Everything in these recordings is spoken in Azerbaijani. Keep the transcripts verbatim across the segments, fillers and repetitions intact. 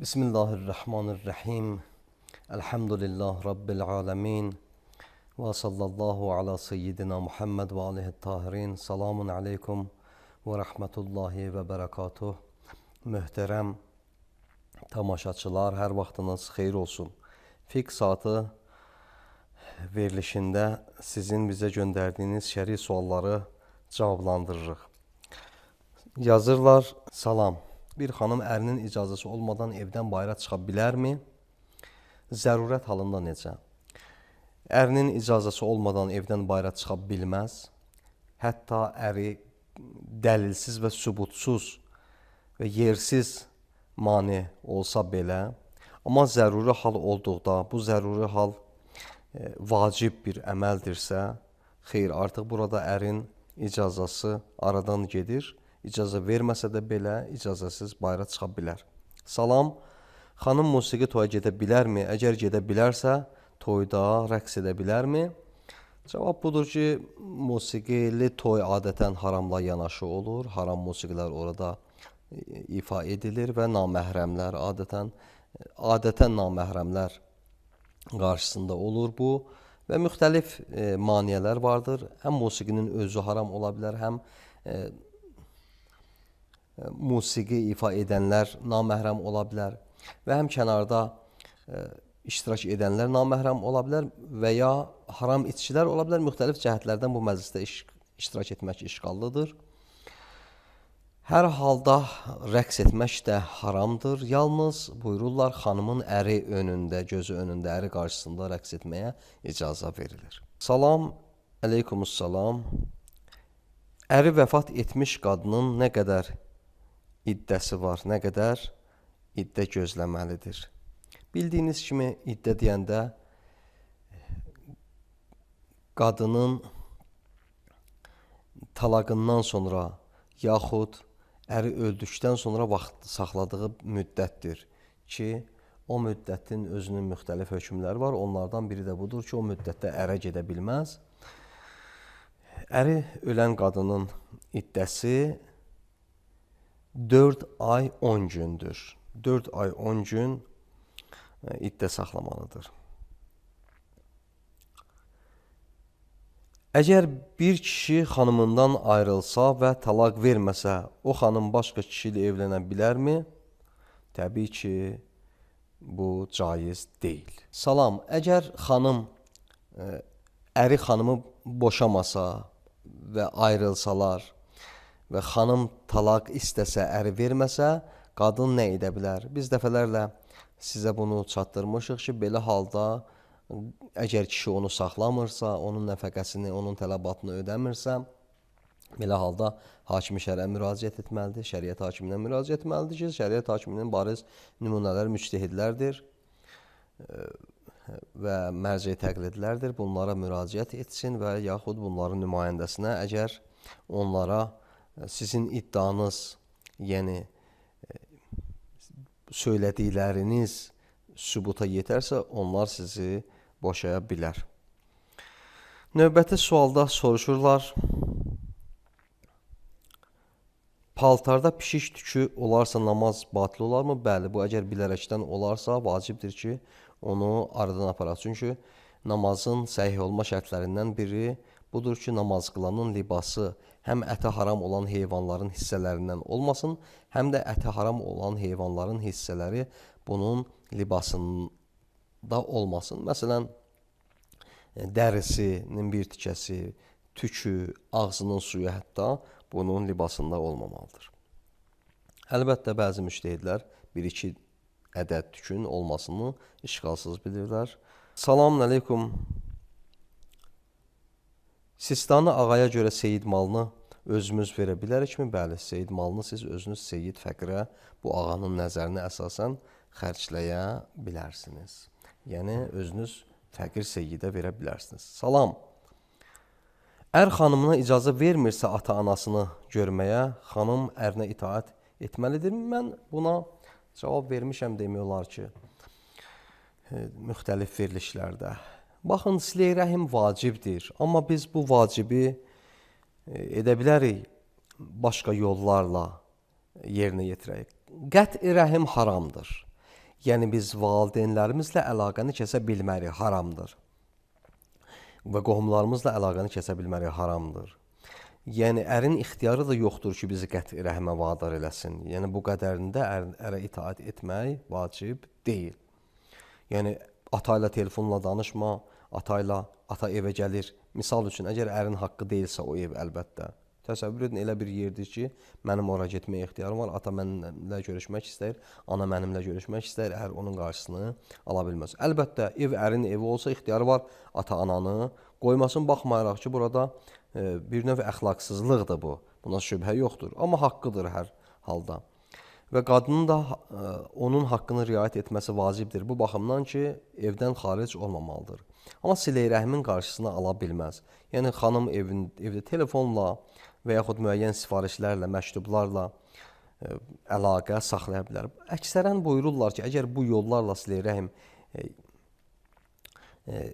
Bismillahirrahmanirrahim. Elhamdülillah Rabbil alemin. Ve sallallahu ala seyyidina Muhammed ve aleyhi tahirin. Selamun aleykum ve rahmetullahi ve berekatuh. Möhtərəm tamaşaçılar, hər vaxtınız xeyir olsun. Fiqh saatı verilişində sizin bizə göndərdiyiniz şəri sualları cavablandırırıq. Yazırlar, salam. Bir xanım ərinin icazəsi olmadan evdən bayıra çıxa bilərmi? Zərurət halında necə? Ərinin icazəsi olmadan evdən bayıra çıxa bilməz. Hətta əri dəlilsiz və sübutsuz və yersiz mane olsa belə, amma zəruri hal olduqda, bu zəruri hal e, vacib bir əməldirsə, xeyr, artıq burada ərin icazəsi aradan gedir. İcazə verməsə də belə, icazəsiz bayıra çıxa bilər. Salam, xanım musiqi toya gedə bilərmi? Əgər gedə bilərsə, toyda rəqs edə bilərmi? Cavab budur ki, musiqili toy adətən haramla yanaşı olur. Haram musiqilər orada ifa edilir və naməhrəmlər adətən, adətən naməhrəmlər qarşısında olur bu. Və müxtəlif e, maniyələr vardır. Həm musiqinin özü haram ola bilər, həm e, musiqi ifa edənlər naməhrəm ola bilər və həm kənarda e, iştirak edənlər naməhrəm ola bilər və ya haram içkilər ola bilər. Müxtəlif cəhətlərdən bu məclisdə iş, iştirak etmək işğallıdır. Hər halda rəqs etmək də haramdır. Yalnız buyururlar, xanımın əri önündə, gözü önündə, əri qarşısında rəqs etməyə icazə verilir. Salam, əleykumussalam. Əri vəfat etmiş qadının nə qədər iddəsi var, nə qədər iddə gözləməlidir? Bildiyiniz kimi iddə deyəndə qadının talaqından sonra yaxud əri öldükdən sonra vaxt saxladığı müddətdir ki, o müddətin özünün müxtəlif hökmləri var. Onlardan biri də budur ki, o müddətdə ərə gedə bilməz. Əri ölən qadının iddəsi dörd ay on gündür. dörd ay on gün iddə saxlamalıdır. Əgər bir kişi xanımından ayrılsa və talaq verməsə, o xanım başqa kişi ilə evlənə bilərmi? Təbii ki, bu caiz deyil. Salam, əgər xanım əri xanımı boşamasa və ayrılsalar və xanım talaq istəsə, əri verməsə, qadın nə edə bilər? Biz dəfələrlə sizə bunu çatdırmışıq ki, belə halda əgər kişi onu saxlamırsa, onun nəfəqəsini, onun tələbatını ödəmirsə, belə halda hakimi şərə müraciət etməlidir, şəriət hakiminə müraciət etməlidir ki, şəriət hakiminin bariz nümunələr müctəhidlərdir və mərci təqlidlərdir. Bunlara müraciət etsin və yaxud bunların nümayəndəsinə, əgər onlara sizin iddianız, yəni söylədikləriniz sübuta yetərsə, onlar sizi boşaya bilər. Növbəti sualda soruşurlar, paltarda pişik tükü olarsa namaz batil olarmı? Bəli, bu əgər bilərəkdən olarsa vacibdir ki, onu aradan aparaq. Çünki namazın səhih olma şərtlərindən biri budur ki, namaz qılanın libası həm ətə haram olan heyvanların hissələrindən olmasın, həm də ətə haram olan heyvanların hissələri bunun libasında olmasın. Məsələn, dərisinin bir tikəsi, tükü, ağzının suyu hətta bunun libasında olmamalıdır. Əlbəttə, bəzi müştəhidlər bir-iki ədəd tükün olmasını işğalsız bilirlər. Selamun əleykum. Sistanı ağaya görə seyid malını özümüz verə bilərikmi? Bəli, seyid malını siz özünüz seyid fəqirə bu ağanın nəzərinə əsasən xərcləyə bilərsiniz. Yəni, özünüz fəqir seyidə verə bilərsiniz. Salam. Ər xanımına icazə vermirsə ata-anasını görməyə, xanım ərinə itaət etməlidir. Mən buna cavab vermişəm demək olar ki, müxtəlif verilişlərdə. Baxın, silə-i rəhim vacibdir, amma biz bu vacibi edə bilərik başqa yollarla yerinə yetirək. Qət-i rəhim haramdır. Yəni biz valideynlərimizlə əlaqəni kəsə bilmərik, haramdır. Və qohumlarımızla əlaqəni kəsə bilmərik, haramdır. Yəni ərin ixtiyarı da yoxdur ki, bizi qəti rəhmə vadar eləsin. Yəni bu qədərində ər, ərə itaat etmək vacib deyil. Yəni ata ilə telefonla danışma, ata ilə ata evə gəlir. Misal üçün, əgər ərin haqqı deyilsə o ev, əlbəttə. Təsəvvür edin, elə bir yerdir ki, mənim ora getməyə ixtiyarım var, ata mənimlə görüşmək istəyir, ana mənimlə görüşmək istəyir, ər onun qarşısını ala bilməz. Əlbəttə, ev ərin evi olsa ixtiyarı var ata-ananı qoymasın, baxmayaraq ki, burada e, bir növ əxlaqsızlıqdır bu, buna şübhə yoxdur, amma haqqıdır hər halda. Və qadının da e, onun haqqını riayət etməsi vacibdir, bu baxımdan ki, evdən xaric olmamalıdır. Amma silə-i rəhmin qarşısını ala bilməz. Yəni, xanım evin, evdə telefonla və yaxud müəyyən sifarişlərlə, məktublarla e, əlaqə saxlaya bilər. Əksərən buyururlar ki, əgər bu yollarla silə-i rəhm e, e,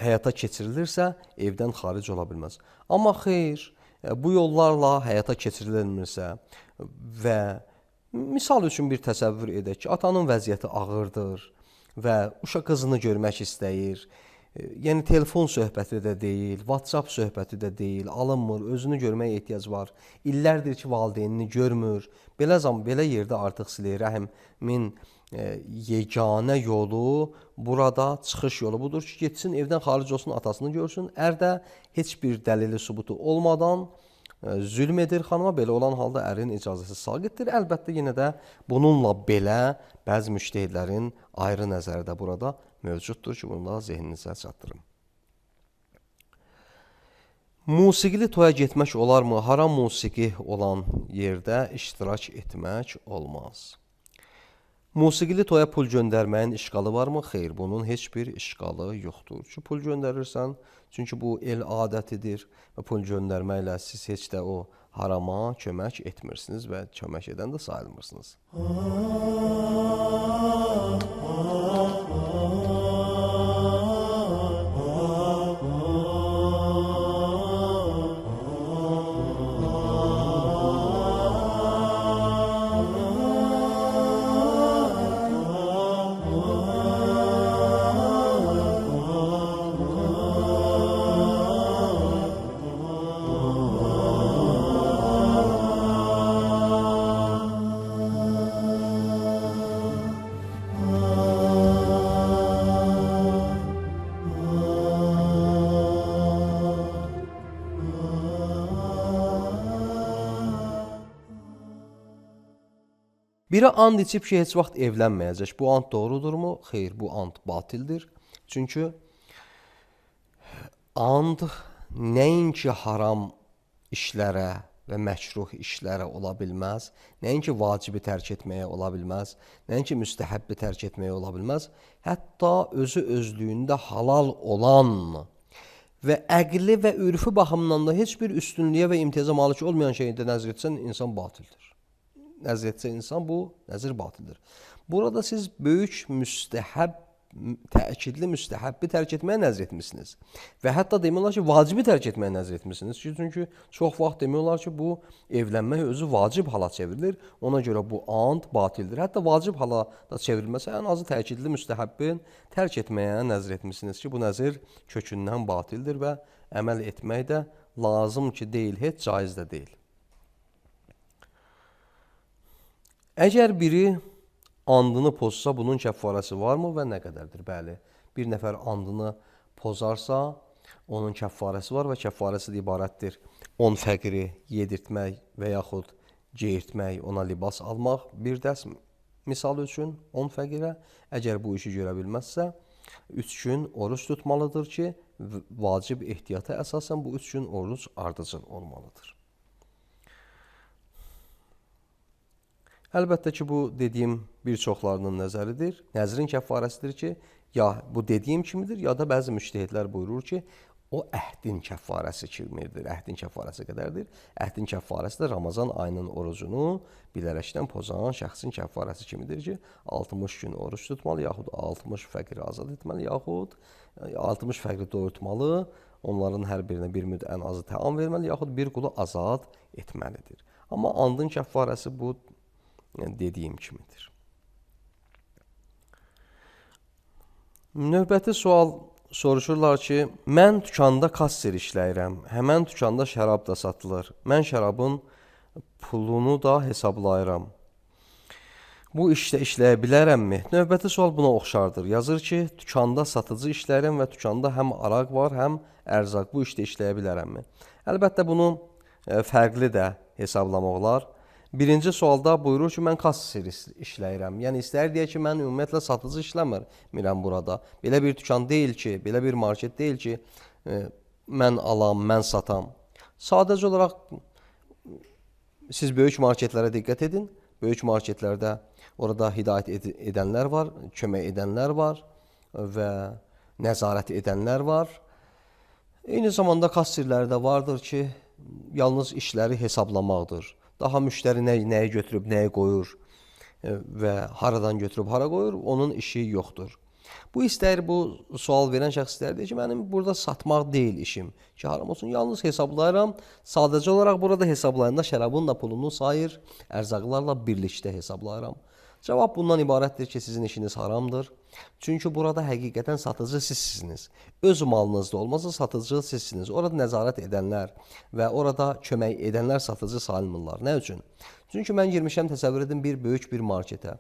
həyata keçirilirsə, evdən xaric ola bilməz. Amma xeyr, e, bu yollarla həyata keçirilmirsə və misal üçün bir təsəvvür edək ki, atanın vəziyyəti ağırdır və uşaq qızını görmək istəyir. Yəni, telefon söhbəti də deyil, WhatsApp söhbəti də deyil, alınmır, özünü görməyə ehtiyac var. İllərdir ki, valideynini görmür. Belə zaman, belə yerdə artıq silə-i rəhmin e, yeganə yolu, burada çıxış yolu budur ki, getsin, evdən xaric olsun, atasını görsün. Ər də heç bir dəlili, sübutu olmadan e, zülm edir xanıma, belə olan halda ərin icazəsi saqitdir. Əlbəttə, yenə də bununla belə bəzi müştəhidlərin ayrı nəzəri də burada mövcuddur ki, bunu da zehninizə çatdırım. Musiqili toya getmək olarmı? Haram musiqi olan yerdə iştirak etmək olmaz. Musiqili toya pul göndərməyin işqalı varmı? Xeyr, bunun heç bir işqalı yoxdur. Ki, pul göndərirsən, çünki bu el adətidir və pul göndərməklə siz heç də o harama kömək etmirsiniz və kömək edən də sayılmırsınız. Biri and içib ki, heç vaxt evlənməyəcək. Bu and doğrudurmu? Xeyr, bu and batildir. Çünki and nəinki haram işlərə və məkruh işlərə ola bilməz, nəinki vacibi tərk etməyə ola bilməz, nəinki müstəhəbbi tərk etməyə ola bilməz, hətta özü özlüyündə halal olan və əqli və ürfü baxımından da heç bir üstünlüyə və imtiyaza malik olmayan şeydə nəzr etsən, insan batildir. Nəzr etsə insan, bu nəzir batildir. Burada siz böyük müstəhəb, təkidli müstəhəbbi tərk etməyə nəzr etmişsiniz. Və hətta demək olar ki, vacibi tərk etməyə nəzr etmişsiniz. Çünki çox vaxt demək olar ki, bu evlənmək özü vacib hala çevrilir. Ona görə bu and batildir. Hətta vacib hala da çevrilməsə, ən azı təkidli müstəhəbbin tərk etməyə nəzr etmişsiniz ki, bu nəzir kökündən batildir və əməl etmək də lazım ki, deyil, heç caiz də deyil. Əgər biri andını pozsa, bunun kəffarəsi varmı və nə qədərdir? Bəli, bir nəfər andını pozarsa, onun kəffarəsi var və kəffarəsi də ibarətdir. on fəqiri yedirtmək və yaxud geyirtmək, ona libas almaq bir dəst misal üçün on fəqirə. Əgər bu işi görə bilməzsə, üç gün oruç tutmalıdır ki, vacib ehtiyata əsasən bu üç gün oruç ardıcıl olmalıdır. Əlbəttə ki, bu dediyim bir çoxlarının nəzəridir. Nəzrin kəffarəsidir ki, ya bu dediyim kimidir, ya da bəzi müştəhidlər buyurur ki, o əhdin kəffarəsi kimidir, əhdin kəffarəsi qədərdir. Əhdin kəffarəsi də Ramazan ayının orucunu bilərəkdən pozan şəxsin kəffarəsi kimidir ki, altmış gün oruç tutmalı, yaxud altmış fəqiri azad etməli, yaxud altmış fəqiri doyurtmalı, onların hər birinə bir müd ən azı təam verməli, yaxud bir qulu azad etməlidir. Amma andın kəffarəsi bu, yəni dediyim kimidir. Növbəti sual soruşurlar ki, mən dükanda kasser işləyirəm. Həmən dükanda şərab da satılır. Mən şərabın pulunu da hesablayıram. Bu işdə işləyə bilərəmmi? Növbəti sual buna oxşardır. Yazır ki, dükanda satıcı işləyirəm və dükanda həm araq var, həm ərzaq. Bu işdə işləyə bilərəmmi? Əlbəttə bunu e, fərqli də hesablamaq olar. Birinci sualda buyurur ki, mən kasser işləyirəm. Yəni istər deyək ki, mən ümumiyyətlə satıcı işləmirəm burada. Belə bir dükan deyil ki, belə bir market deyil ki, e, mən alam, mən satam. Sadəcə olaraq siz böyük marketlərə diqqət edin. Böyük marketlərdə orada hidayət ed edənlər var, kömək edənlər var və nəzarət edənlər var. Eyni zamanda kasserlər də vardır ki, yalnız işləri hesablamaqdır. Daha müştəri nə, nəyi götürüb, nəyi qoyur və haradan götürüb, hara qoyur, onun işi yoxdur. Bu istər, bu sual verən şəxs istər deyir ki, mənim burada satmaq deyil işim. Ki, haram olsun, yalnız hesablayıram. Sadəcə olaraq burada hesablayanda şərabın da pulunu sayır, ərzaqlarla birlikdə hesablayıram. Cavab bundan ibarətdir ki, sizin işiniz haramdır. Çünki burada həqiqətən satıcı sizsiniz. Öz malınızda olmasa satıcı sizsiniz. Orada nəzarət edənlər və orada kömək edənlər satıcı sayılmırlar. Nə üçün? Çünki mən girmişəm, təsəvvür edin, bir böyük bir marketə.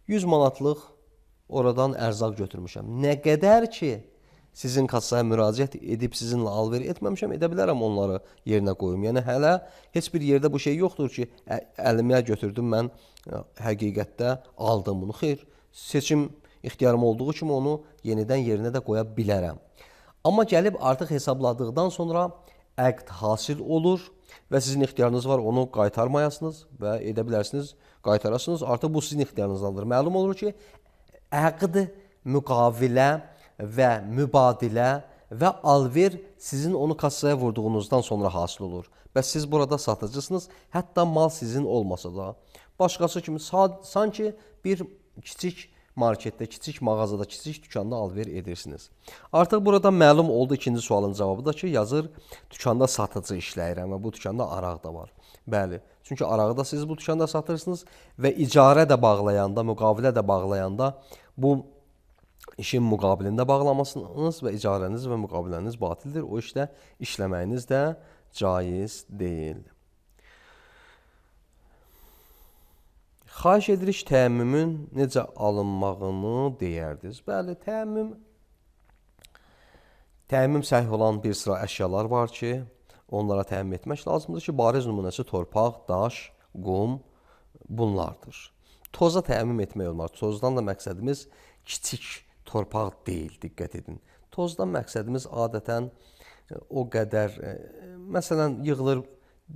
yüz manatlıq oradan ərzaq götürmüşəm. Nə qədər ki, sizin kassaya müraciət edib sizinlə alver etməmişəm, edə bilərəm onları yerinə qoyum. Yəni hələ heç bir yerdə bu şey yoxdur ki, əlimə götürdüm, mən həqiqətdə aldım bunu. Xeyr, seçim ixtiyarım olduğu kimi onu yenidən yerinə də qoya bilərəm. Amma gəlib artıq hesabladıqdan sonra əqd hasil olur və sizin ixtiyarınız var, onu qaytarmayasınız və edə bilərsiniz, qaytarasınız. Artıq bu sizin ixtiyarınızdandır. Məlum olur ki, əqd, müqavilə və mübadilə və alver sizin onu kassaya vurduğunuzdan sonra hasil olur. Bəs siz burada satıcısınız, hətta mal sizin olmasa da. Başqası kimi sanki bir kiçik marketdə, kiçik mağazada, kiçik dükanda alver edirsiniz. Artıq burada məlum oldu ikinci sualın cavabı da ki, yazır, dükanda satıcı işləyirəm və bu dükanda araq da var. Bəli, çünki arağı da siz bu dükanda satırsınız və icarə də bağlayanda, müqavilə də bağlayanda bu işin müqabilində bağlamasınız və icarəniz və müqaviləniz batildir. O işdə işləməyiniz də caiz deyil. Xahiş edirik təəmmümün necə alınmağını deyərdiniz. Bəli, təəmmüm, təəmmüm səhih olan bir sıra əşyalar var ki, onlara təəmmüm etmək lazımdır ki, bariz nümunəsi torpaq, daş, qum bunlardır. Toza təəmmüm etmək olmaz. Tozdan da məqsədimiz kiçik torpaq deyil, diqqət edin. Tozdan məqsədimiz adətən o qədər, məsələn, yığılır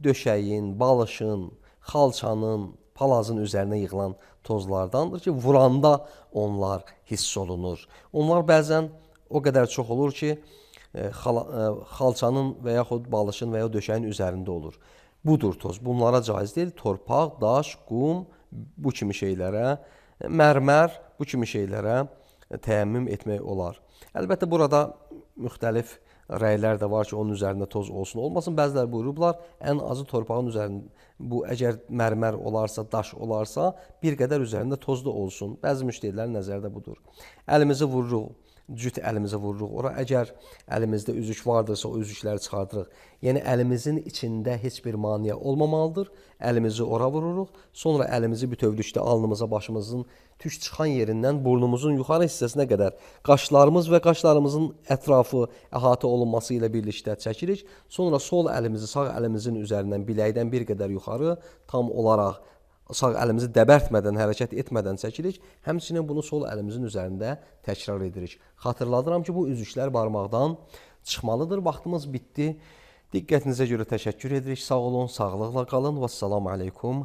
döşəyin, balışın, xalçanın, palazın üzərinə yığılan tozlardandır ki, vuranda onlar hiss olunur. Onlar bəzən o qədər çox olur ki, xalçanın və yaxud balışın və ya döşəyin üzərində olur. Budur toz. Bunlara caiz deyil. Torpaq, daş, qum, bu kimi şeylərə, mərmər, bu kimi şeylərə təəmmüm etmək olar. Əlbəttə, burada müxtəlif rəylər də var ki, onun üzərində toz olsun, olmasın. Bəziləri buyurublar, ən azı torpağın üzərində, bu əgər mərmər olarsa, daş olarsa, bir qədər üzərində toz da olsun. Bəzi müştərilərin nəzərdə budur. Əlimizi vururuq, cüt əlimizi vururuq. Ora əgər əlimizdə üzük vardırsa, o üzükləri çıxardırıq. Yəni, əlimizin içində heç bir maniyə olmamalıdır. Əlimizi ora vururuq. Sonra əlimizi bütövlükdə alnımıza, başımızın tük çıxan yerindən burnumuzun yuxarı hissəsinə qədər qaşlarımız və qaşlarımızın ətrafı əhatə olunması ilə birlikdə çəkirik. Sonra sol əlimizi sağ əlimizin üzərindən biləkdən bir qədər yuxarı tam olaraq sağ əlimizi dəbərtmədən, hərəkət etmədən çəkirik. Həmçinin bunu sol əlimizin üzərində təkrar edirik. Xatırladıram ki, bu üzüklər barmaqdan çıxmalıdır. Vaxtımız bitdi. Diqqətinizə görə təşəkkür edirik. Sağ olun, sağlıqla qalın. Vəssalamu aleykum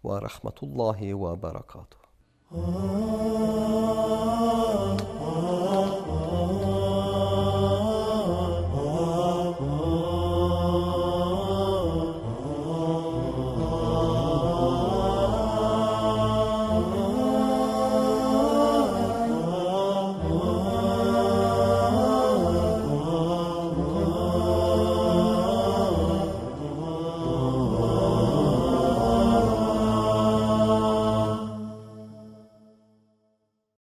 və rəhmətullahi və bərəkatuhu.